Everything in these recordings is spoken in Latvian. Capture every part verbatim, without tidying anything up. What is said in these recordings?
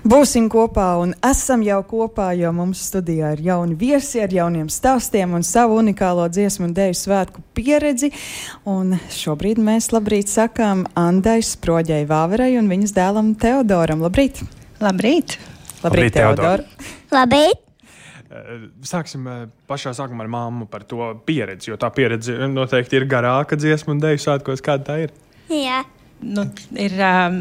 Būsim kopā un esam jau kopā, jo mums studijā ir jauni viesi ar jauniem stāstiem un savu unikālo dziesmu un deju svētku pieredzi. Un šobrīd mēs labrīt sakām Andai Sproģai Vāverai un viņas dēlam Teodoram. Labrīt! Labrīt! Labrīt, Labrīt Teodor! Labrīt! Sāksim pašā sākumā ar mammu par to pieredzi, jo tā pieredze noteikti ir garāka dziesmu un deju svētkos. Kāda tā ir? Jā. Nu, ir um,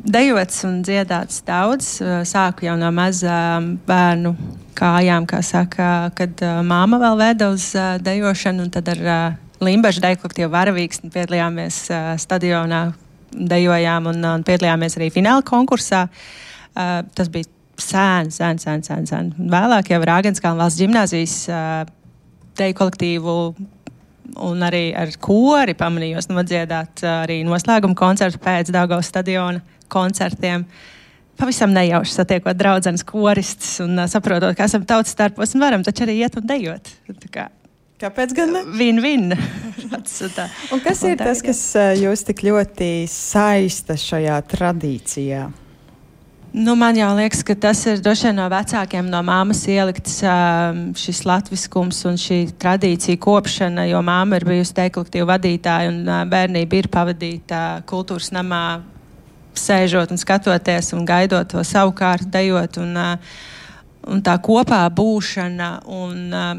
dejots un dziedāts daudz. Sāku jau no mazām bērnu kājām, kā saka, kad uh, māma vēl veda uz uh, dejošanu, un tad ar uh, Limbažu deju kolektīvu Varavīksni piedalījāmies uh, stadionā, dejojām un, un piedalījāmies arī fināla konkursā. Uh, tas bija sēn, sēn, sēn, sēn, sēn. Vēlāk jau Rāgenskalna valsts ģimnāzijas uh, deju kolektīvu un arī ar kori pamanījos nodziedāt arī noslēguma koncertu pēc Daugavas stadiona koncertiem. Pavisam nejauši satiekot draudzenes koristus un uh, saprotot, ka esam tautas starpos un varam taču arī iet un dejot. Tā kā Kāpēc gan ne? Win-win. Un kas ir tas, kas uh, jūs tik ļoti saista šajā tradīcijā? Nu, man jau liekas, ka tas ir droši vien no vecākiem, no māmas ielikts uh, šis latviskums un šī tradīcija kopšana, jo māma ir bijusi deju kolektīvu vadītāja un uh, bērnība ir pavadīta kultūras namā, sēžot un skatoties un gaidot to savu kārtu dejot un, uh, un tā kopā būšana un, uh,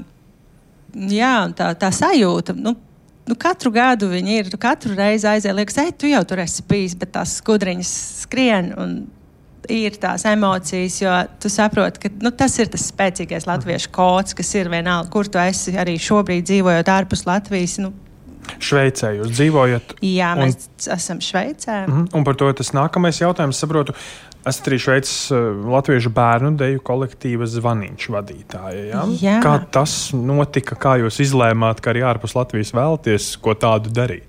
jā, un tā, tā sajūta. Nu, nu, katru gadu viņi ir, tu katru reizi aiziet, liekas, ej, tu jau tur esi bijis, bet tās skudriņas skrien un ir tās emocijas, jo tu saproti, ka nu, tas ir tas spēcīgais latviešu kods, kas ir vienalga, kur tu esi arī šobrīd dzīvojot ārpus Latvijas. Nu. Šveicē jūs dzīvojat? Jā, un... mēs esam Šveicē. Mm-hmm. Un par to tas nākamais jautājums, saprotu, esat arī Šveices uh, latviešu bērnu deju kolektīva Zvaniņš vadītāja. Ja? Jā. Kā tas notika, kā jūs izlēmāt, ka arī ārpus Latvijas vēlaties ko tādu darīt?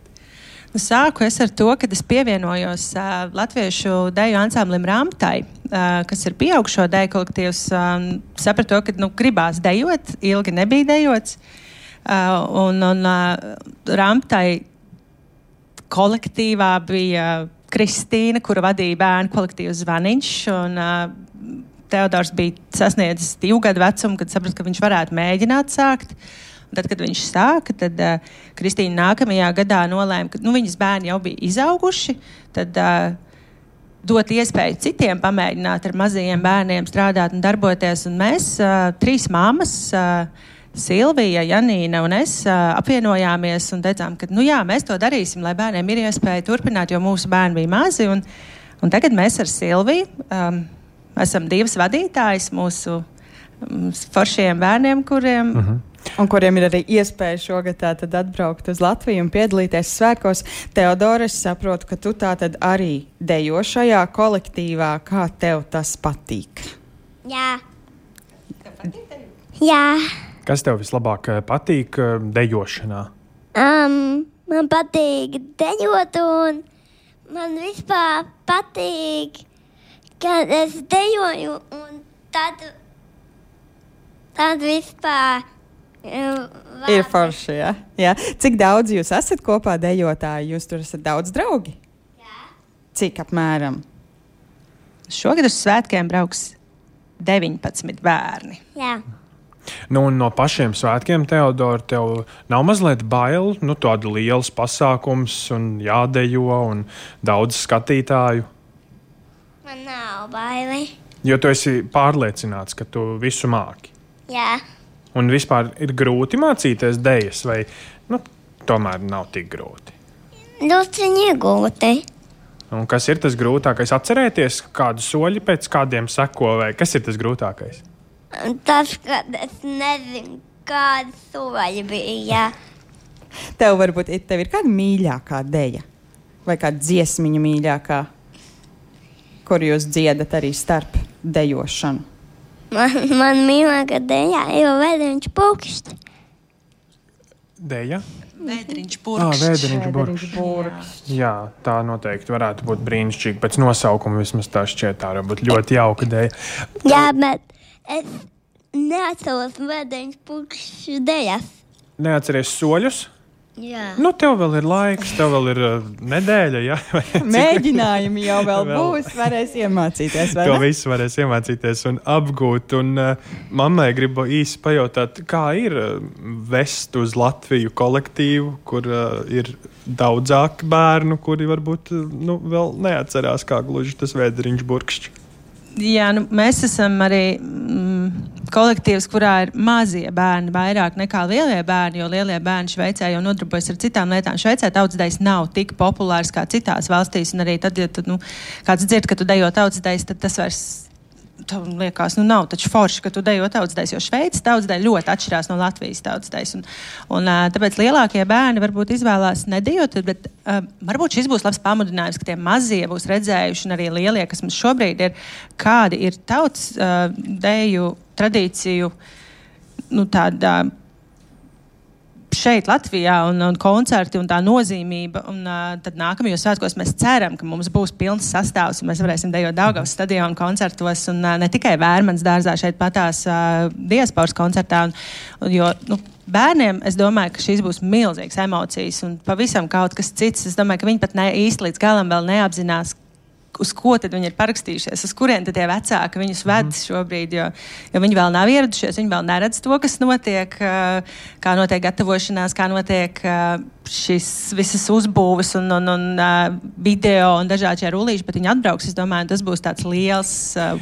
Nu, sāku es ar to, kad es pievienojos uh, latviešu deju ansamblim Ramptai, uh, kas ir pieaugšo deju kolektīvs. Um, sapratu to, ka nu, gribās dejot, ilgi nebija dejots. Uh, un un uh, Ramptai kolektīvā bija Kristīna, kura vadīja bērnu kolektīvu Zvaniņš. Un, uh, Teodors bija sasniedzis divu gadu vecumu, kad sapratu, ka viņš varētu mēģināt sākt. Tad, kad viņš sāka, tad uh, Kristīna nākamajā gadā nolēma, ka nu, viņas bērni jau bija izauguši, tad uh, dot iespēju citiem pamēģināt ar mazajiem bērniem strādāt un darboties. Un mēs, uh, trīs mammas, uh, Silvija, Janīna un es, uh, apvienojāmies un teicām, ka nu, jā, mēs to darīsim, lai bērniem ir iespēja turpināt, jo mūsu bērni bija mazi. Un, un tagad mēs ar Silviju um, esam divas vadītājas mūsu um, foršajiem bērniem, kuriem... Uh-huh. Un kuriem ir arī iespēja šogad tātad atbraukt uz Latviju un piedalīties svētkos. Teodora, es saprotu, ka tu tātad arī dejo šajā kolektīvā. Kā tev tas patīk? Jā. Jā. Kas tev vislabāk patīk dejošanā? Um, man patīk dejot un man vispār patīk, kad es dejoju un tad, tad vispār Vārdi. Ir forši, jā. jā. Cik daudz jūs esat kopā dejotāji? Jūs tur esat daudz draugi? Jā. Cik apmēram? Šogad uz svētkiem brauks deviņpadsmit bērni. Jā. Nu, un no pašiem svētkiem, Teodora, tev nav mazliet bail? Nu, tādu liels pasākums un jādejo un daudz skatītāju. Man nav baili. Jo tu esi pārliecināts, ka tu visu māki. Jā. Un vispār ir grūti mācīties dejas, vai nu, tomēr nav tik grūti? Ļoti grūti. Un kas ir tas grūtākais? Atcerēties, kādu soļi pēc kādiem seko, vai kas ir tas grūtākais? Tas, ka es nezinu, kāda soļi bija. Tev varbūt tev ir kāda mīļākā deja? Vai kāda dziesmiņa mīļākā, kur jūs dziedat arī starp dejošanu? Man, man mīļākā deja ir Vēdriņš pulkšķi. Deja? Vēdriņš Ah, burkšķi. Vēdriņš burkšķi. Jā, tā noteikti varētu būt brīnišķīgi. Pēc nosaukuma vismaz tā šķiet, tā varbūt ļoti jauka deja. Jā, bet es neatceros Vēdriņš pulkšķi dejas. Neatceries soļus? Jā. Nu, tev vēl ir laiks, tev vēl ir uh, nedēļa, jā. Mēģinājumi jau vēl, vēl būs, varēs iemācīties, vai to ne? visu varēs iemācīties un apgūt. Un uh, mammai gribu īsi pajautāt, kā ir uh, vest uz Latviju kolektīvu, kur uh, ir daudzāki bērnu, kuri varbūt uh, nu, vēl neatcerās, kā gluži tas Vēderiņš burkšķi. Jā, nu, mēs esam arī mm, kolektīvs, kurā ir mazie bērni vairāk nekā lielie bērni, jo lielie bērni Šveicē jau nodarbojas ar citām lietām. Šveicē tautsdejas nav tik populārs kā citās valstīs, un arī tad, ja tu, nu, kāds dzird, ka tu dejo tautsdejas, tad tas vairs tev liekas, nu nav taču forši, ka tu dejo tautsdejas, jo Šveices tautsdeja ļoti atšķirās no Latvijas tautsdejas. Un, un tāpēc lielākie bērni varbūt izvēlās nedejot, bet uh, varbūt šis būs labs pamudinājums, ka tie mazie būs redzējuši, un arī lielie, kas mums šobrīd ir, kādi ir tauts uh, deju tradīciju, nu tāda šeit Latvijā un, un koncerti un tā nozīmība. Un uh, tad nākamajos svētkos mēs ceram, ka mums būs pilns sastāvs un mēs varēsim dejot Daugavas stadionu koncertos un uh, ne tikai Vērmanas dārzā šeit patās uh, diasporas koncertā. Un, un, jo, nu, bērniem, es domāju, ka šīs būs milzīgas emocijas un pavisam kaut kas cits. Es domāju, ka viņi pat ne, īsti līdz galam vēl neapzinās, uz ko tad viņi ir parakstījušies, uz kurien tad tie vecāki viņus ved šobrīd, jo, jo viņi vēl nav ieradušies, viņi vēl neredz to, kas notiek, kā notiek gatavošanās, kā notiek šis visas uzbūves un, un, un video un dažādi šie rullīši, bet viņi atbrauks, es domāju, tas būs tāds liels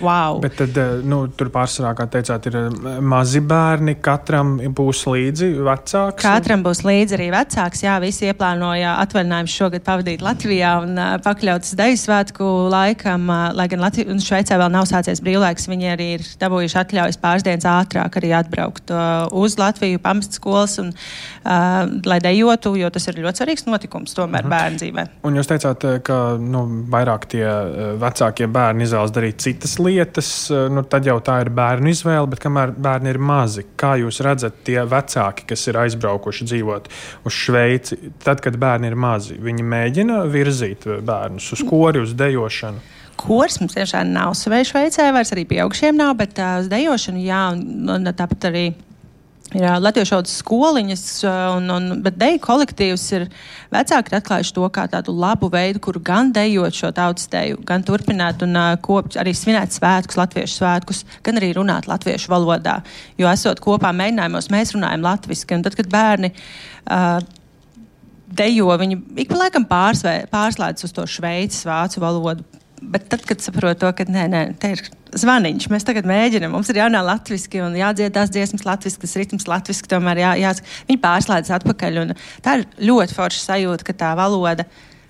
wow. Bet tad, nu, tur pārsvarā, kā teicāt, ir mazi bērni, katram būs līdzi vecāks? Katram būs līdzi arī vecāks, jā, visi ieplānoja atvaļinājumus šogad pavadīt Latvijā un pakļautas deju svētku laikam, lai gan Latvijā un Šveicē vēl nav sācies brīvlaiks, viņi arī ir dabūjuši atļaujas pāris dienas ātrāk arī atbraukt uz Latviju, pamest skolas un uh, lai dejotu, jo tas ir ļoti svarīgs notikums tomēr uh-huh. bērnu dzīvē. Un jūs teicāt, ka nu, vairāk tie vecākie bērni izvēlas darīt citas lietas, nu, tad jau tā ir bērnu izvēle, bet kamēr bērni ir mazi, kā jūs redzat tie vecāki, kas ir aizbraukuši dzīvot uz Šveici, tad, kad bērni ir mazi, viņi mēģina virzīt bērnus uz kori, uz dejošanu? Kors mums tiešām nav Šveicē, vairs arī pieaugšiem nav, bet uh, uz dejošanu jā, un, un tāpat arī ir latviešu valodas skoliņas, un, un, bet deju kolektīvs ir vecāki ir atklājuši to kā tādu labu veidu, kuru gan dejot šo tautas deju, gan turpināt un uh, kopt arī svinēt svētkus, latviešu svētkus, gan arī runāt latviešu valodā. Jo esot kopā mēģinājumos, mēs runājam latviski, un tad, kad bērni uh, dejo, viņi ik pa laikam pārsvē, pārslēdz uz to šveicis vācu valodu. Bet tad, kad saprotu to, ka nē, nē, te ir zvaniņš, mēs tagad mēģinam, mums ir jānā latviski un jādzied tās dziesmas latviski, tas ritms latviski, tomēr jā, jā, viņi pārslēdz atpakaļ. Un tā ir ļoti forša sajūta, ka tā valoda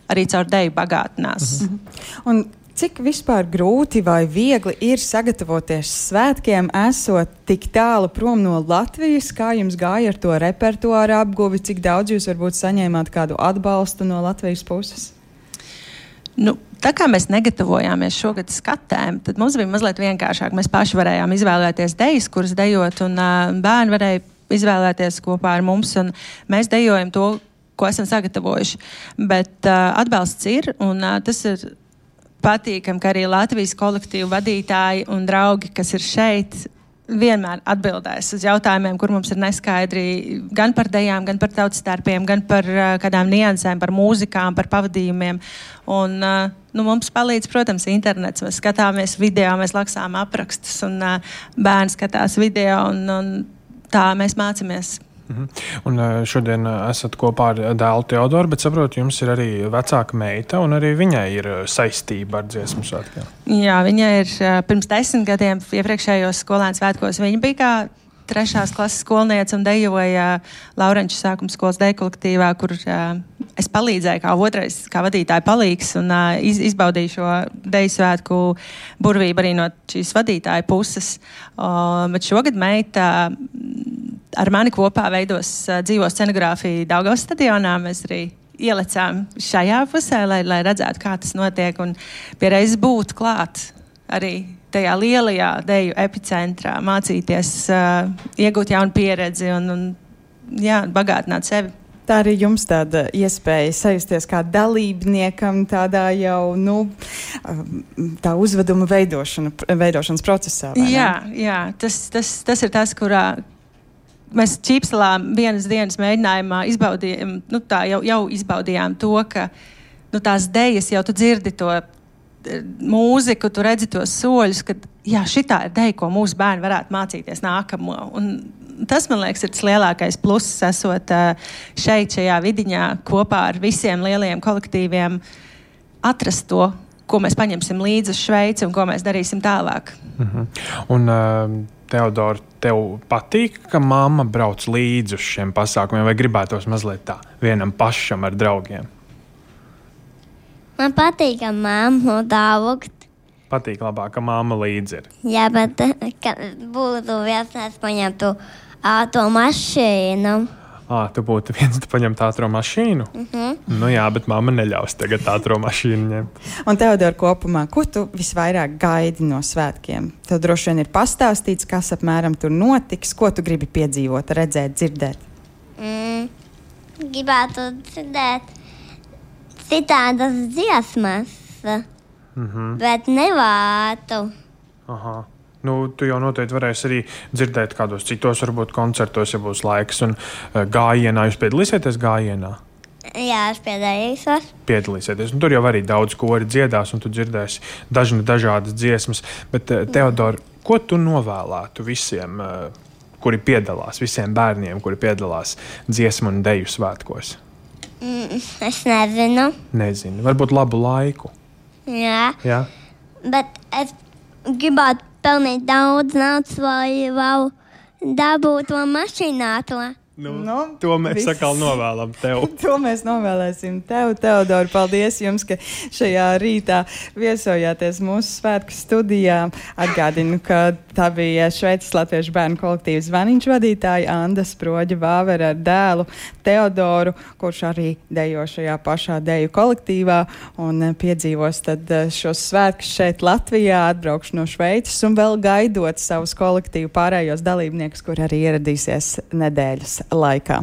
arī caur deju bagātinās. Mhm. Un cik vispār grūti vai viegli ir sagatavoties svētkiem, esot tik tālu prom no Latvijas, kā jums gāja ar to repertuāru apguvi, cik daudz jūs varbūt saņēmāt kādu atbalstu no Latvijas puses? Nu, tā kā mēs negatavojāmies šogad skatēm, tad mums bija mazliet vienkāršāk. Mēs paši varējām izvēlēties dejas, kuras dejot, un uh, bērni varēja izvēlēties kopā ar mums, un mēs dejojam to, ko esam sagatavojuši. Bet uh, atbalsts ir, un uh, tas ir patīkami, ka arī Latvijas kolektīvu vadītāji un draugi, kas ir šeit, vienmēr atbildēs uz jautājumiem, kur mums ir neskaidri gan par dejām, gan par tautas starpiem, gan par uh, kādām niansēm, par mūzikām, par pavadījumiem. Un uh, nu, mums palīdz, protams, internets. Mēs skatāmies video, mēs laksām aprakstus, un uh, bērni skatās video, un, un tā mēs mācāmies. Mhm. Un šodien esat kopā ar dēlu Teodoru, bet saprotu, jums ir arī vecāka meita, un arī viņai ir saistība ar dziesmu svētkiem. Jā, viņa ir pirms desmit gadiem iepriekšējos skolēnu svētkos. Viņa bija kā trešās klases skolniece un dejoja Laurenču sākuma skolas deju kolektīvā, kur uh, es palīdzēju kā otrais, kā vadītāja palīgs un uh, iz, izbaudīju šo deju svētku burvību arī no šīs vadītāja puses. Uh, bet šogad meita ar mani kopā veidos uh, dzīvo scenogrāfiju Daugavas stadionā. Mēs arī ielecām šajā pusē, lai, lai redzētu, kā tas notiek un pie reizes būt klāt arī tajā lielajā deju epicentrā, mācīties, uh, iegūt jaunu pieredzi un, un jā, bagātināt sevi. Tā arī jums tāda iespēja sajusties kā dalībniekam tādā jau, nu, tā uzveduma veidošana, veidošanas procesā, vai ne? Jā, jā, tas, tas, tas ir tas, kurā mēs Čīpselā vienas dienas mēģinājumā izbaudījām, nu tā jau, jau izbaudījām to, ka nu, tās dejas jau tu dzirdi to mūziku, tu redzi tos soļus, ka jā, šitā ir deja, ko mūsu bērni varētu mācīties nākamo. Un tas, man liekas, ir tas lielākais pluss, esot šeit, šajā vidiņā, kopā ar visiem lielajiem kolektīviem, atrast to, ko mēs paņemsim līdzi uz Šveici un ko mēs darīsim tālāk. Mhm. Un, uh, Teodora, tev patīk, ka mamma brauc līdzi uz šiem pasākumiem, vai gribētos mazliet tā vienam pašam ar draugiem? Man patīk, ka mammu daugt. Patīk labāk, ka mamma līdzi ir. Jā, bet ka būtu viens, es paņemtu ātro mašīnu. Ā, tu būtu viens, tu paņemt ātro mašīnu? Mhm. Nu jā, bet mamma neļaus tagad ātro mašīnu ņemt. Un Teodora, kopumā, ko tu visvairāk gaidi no svētkiem? Tev droši vien ir pastāstīts, kas apmēram tur notiks, ko tu gribi piedzīvot, redzēt, dzirdēt? Mm, gribētu dzirdēt citādas dziesmas, Mhm. bet nevātu. Aha. Nu, tu jau noteikti varēsi arī dzirdēt kādos citos, varbūt koncertos, ja būs laiks. Un uh, gājienā, jūs piedalīsieties gājienā? Jā, es piedalīšos. Piedalīsieties. Un tur jau arī daudz kori dziedās, un tu dzirdēsi dažna dažādas dziesmas. Bet, uh, Teodora, ko tu novēlētu visiem, uh, kuri piedalās, visiem bērniem, kuri piedalās dziesmu un deju svētkos? Mm, es nezinu. Nezinu. Varbūt labu laiku. Jā, Jā? bet es gribētu pelnīt daudz naudas, lai vēl dabūtu to mašīnāto. Nu, Nu, to mēs viss. sakal novēlam tev. To mēs novēlēsim tev, Teodora. Paldies jums, ka šajā rītā viesojāties mūsu svētku studijā. Atgādinu, ka tā bija Šveices Latviešu bērnu kolektīvas zvaniņš vadītāja Anda Sproģa Vāvera ar dēlu Teodoru, kurš arī dejo šajā pašā deju kolektīvā un piedzīvos tad šos svētkus šeit Latvijā, atbraukšu no Šveices un vēl gaidot savus kolektīvu pārējos dalībniekus, kur arī ieradīsies nedēļas laikā.